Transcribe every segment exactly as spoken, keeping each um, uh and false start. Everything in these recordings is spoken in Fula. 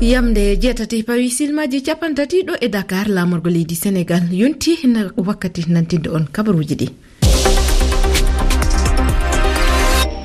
Yamde jeetati pawi silmaaji capanɗe tati ɗo e Dakar, laamorgo leydi Senegal yonti na wakkati nantinde on kabaruuji ɗi.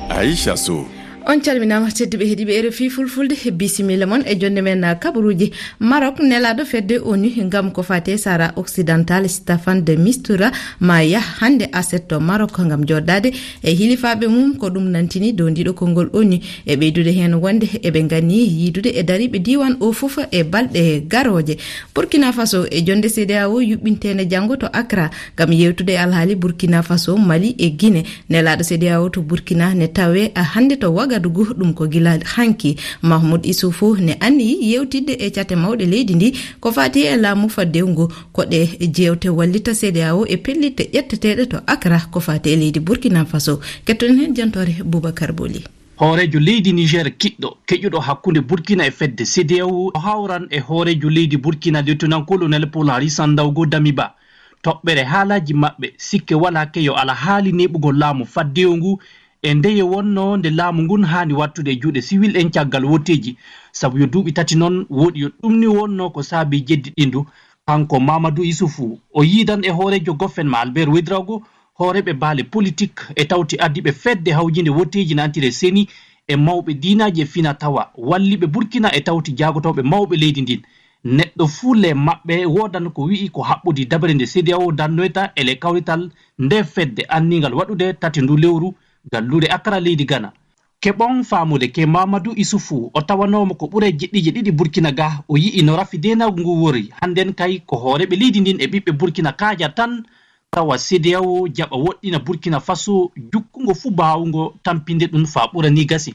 Aisha Sow. On calminaama, tedduɓe heɗiiɓe R F I Fulfulde, bisimilla mon e jonde men kabaruuji. Maroc, nelaaɗo fedde ONU ngam ko faati e Sahara Occidental, Staffan de Mistura, ma yah hannde aset to Maroc ngam jooɗdaade e hilifaaɓe mum. Ko ɗum nantini downdiiɗo konngol ONU, e ɓeydude heen wonde eɓe nganni yiidude e dariiɓe diiwaan o fof e balɗe garooje. Burkina Faso, e jonde CEDEAO yuɓɓinteende janngo to Accra ngam yeewtude e alhaali Burkina Faso, Mali e Guinée. Nelaaɗo CEDEAO to Burkina ne tawee hannde to Wagadugu, ɗum ko gila hanki. Mahmoud Issoufou ne anniyi yeewtidde e cate mawɗe leydi ndi ko faati e laamu faddewu ngu. Ko ɗe jeewte wallita CEDEAO e pellitte ƴetteteeɗe to Accra ko faati e leydi Burkina Faso. Kettoɗen heen jantoore Boubacar Boli. Hooreejo leydi Niger kiɗɗo, keƴuɗo hakkunde Burkina e fedde CEDEAO, o hawran e hooreejo leydi Burkina, Lieutenant-colonel Paul Henri Sandaogo Damiba. Toɓɓere haalaaji maɓɓe, sikke walaa keyo ala haali neeɓugol laamu faddewu ngu e ndeye wonnoo nde laamu ngun haani wattude e juuɗe siwil en caggal woteeji, sabu yo duuɓi tati non woɗi yo ɗum ni wonnoo ko saabii jeddi ɗindu. Kanko Mamadou Issoufou, o yiidan e hooreejo gofen ma Albert Ouedraogo, hooreeɓe baale politik e tawti ardiiɓe fedde hawjinde woteeji nantire seni e mawɓe diinaaji e fina tawa, walliiɓe Burkina e tawti jaagotooɓe mawɓe leydi ndin. Neɗɗo fuu le maɓɓe woodan ko wi'i ko haɓɓodi dabare nde CEDEAO dannoyta e le kawrital nde fedde anniingal waɗude tate ndu lewru galluure Accra leydi Ghana. Keɓon faamude ke Mamadou Issoufou, o tawanooma ko ɓure jeɗɗiije ɗiɗi Burkina ga, o yi'i no rafi deenaagu ngu wori. Hannden kay ko hooreeɓe leydi ndin e ɓiɓɓe Burkina kaaja tan, tawa CEDEAO jaɓa woɗɗina Burkina Faso jukkungo fuu baawungo tampinde ɗum faa ɓura ni gasi.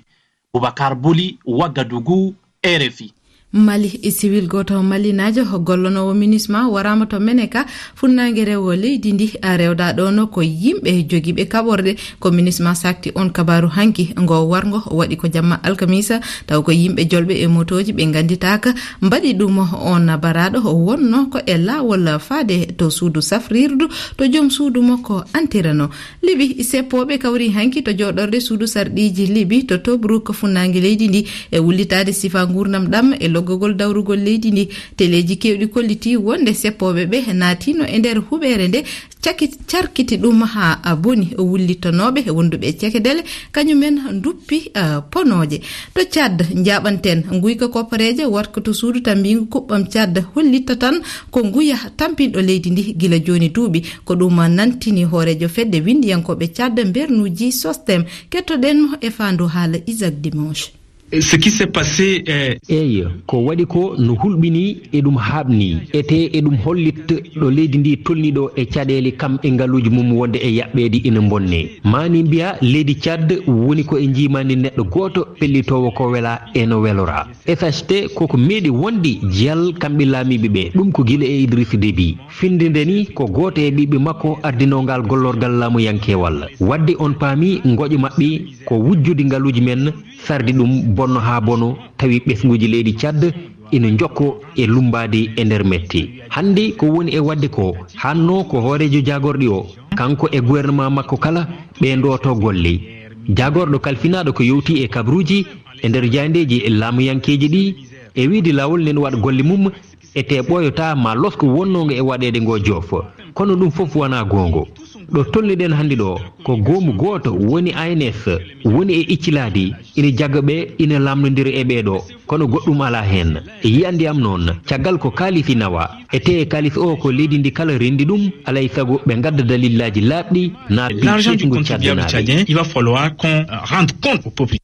Boubacar Boli, Wagadugu, R F I. Mali, e siwil gooto malinaajo gollonoowo MINUSMA waraama to Meneka, funnaange rewo leydi ndi. A rewda ɗono ko yimɓe jogiiɓe kaɓorɗe. Ko MINUSMA sakti on kabaaru hanki. Ngo warngo waɗi ko jamma alkamisa, taw ko yimɓe jolɓe e motooji ɓe ngannditaaka mbaɗi ɗum. On baraaɗo wonno ko e laawol faade to suudu safrirdu to joom suudu makko antirano. Libi, seppooɓe kawri hanki to jooɗorde suudu sarɗiiji Libi to Tobruk, funnaange leydi ndi, e wullitaade sifa nguurndam ɗam e loggogol dawrugol leydi ndi. Teleeji keewɗi kolliti wonde seppooɓe ɓe naatino e nder huɓeere nde, caki-, carkiti ɗum haa a boni. Wullitanooɓe wonduɓe e cekedele, kañumen nduppi, ah, ponooje. To Tchad, njaaɓanten nguyka koppareeje warko to suudu tambiingu kuɓɓam Tchad, hollita tan ko nguya tampinɗo leydi ndi gila jooni duuɓi. Ko ɗum nantini hooreejo fedde winndiyankooɓe Tchad mbernuuji Sostem. Kettoɗen mo e faandu haala Isaac Dimanche. Ce qui s'est passé, eh, Eey, ko waɗi ko no hulɓinii e ɗum haaɓnii, etee e ɗum hollit ɗo leydi ndi tolni ɗo e caɗeele kam e ngaluuji mum wonde e yaɓɓeede ina mbonne. Maani mbiya leydi Tchad woni ko e njiimaandi neɗɗo gooto pellitoowo ko wela e no welora. F H T koko meeɗi wonde jiyal kamɓe laamiiɓe ɓe, ɗum ko gila e Idriss Déby. Findinde ni ko gooto e ɓiɓɓe makko ardinoo ngal gollorgal laamuyankeewal. Wadde on paami ngoƴo maɓɓe ko wujjude ngaluuji men, sarde ɗum bonno haa bono, tawi ɓesnguuji leydi Tchad ina njokko e lummbaade e nder mette. Hannde ko woni e waɗde ko, hanno ko hooreejo jaagorɗi o, kanko e gouvernement makko kala, ɓe ndooto golle. Jaagorɗo kalfinaaɗo ko yowti e kabaruuji e nder jaayndeeji laamuyankeeji ɗi, e wiide laawol nen waɗa golle mum, ete ɓooyota ma losko wonnongo e waɗeede ngo joof. Kono ɗum fof wonaa goongo. Ɗo tolniɗen hannde ɗo, ko goomu gooto woni A N S, woni e iccilaadi, ina jagga ɓe, ina lamnondira e ɓee ɗo, kono goɗɗum alaa heen. E yiyannde am noon, caggal ko kaalisi nawa, ete kaalis o ko leydi ndi kala renndi ɗum, alay sago ɓe ngadda dalillaaji laaɓɗi, na L'argent du contribuable tchadien, il va falloir qu'on, euh, rende compte au peuple.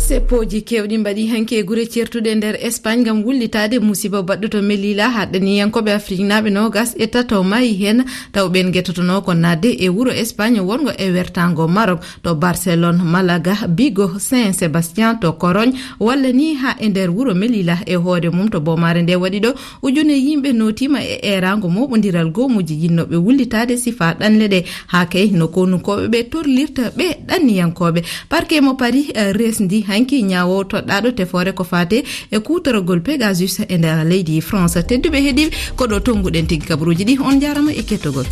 Seppooji keewɗi mbaɗi hanki e gure ceertuɗe nder Espagne ngam wullitaade musiba baɗɗo to Melilla, haɗɗaniyankooɓe Afriknaaɓe noogas e tato maayi heen, taw ɓeen ngetotonoo ko naatde e wuro Espagne wonngo e wertaango Maroc, to Barcelone, Malaga, Vigo, Saint Sebastian, to Corogne, walla ni haa e nder wuro Melilla e hoore mum. To boomaare nde waɗi ɗo, ujune yimɓe nootiima e eeraango mooɓondiral goomuuji yinnooɓe wullitaade sifaa ɗanle ɗe. Haa kay no konunkooɓe ɓe torlirta ɓe ɗanniyankooɓe. Parquet mo Paris, eh, resndi hanki ñaawo toɗɗaaɗo tefoore ko faate e kuutoragol Pegasus e nder leydi France. Tedduɓe heɗiiɓe, ko ɗo tonnguɗen tigi kabaruuji ɗi. On njaarama e kettogol.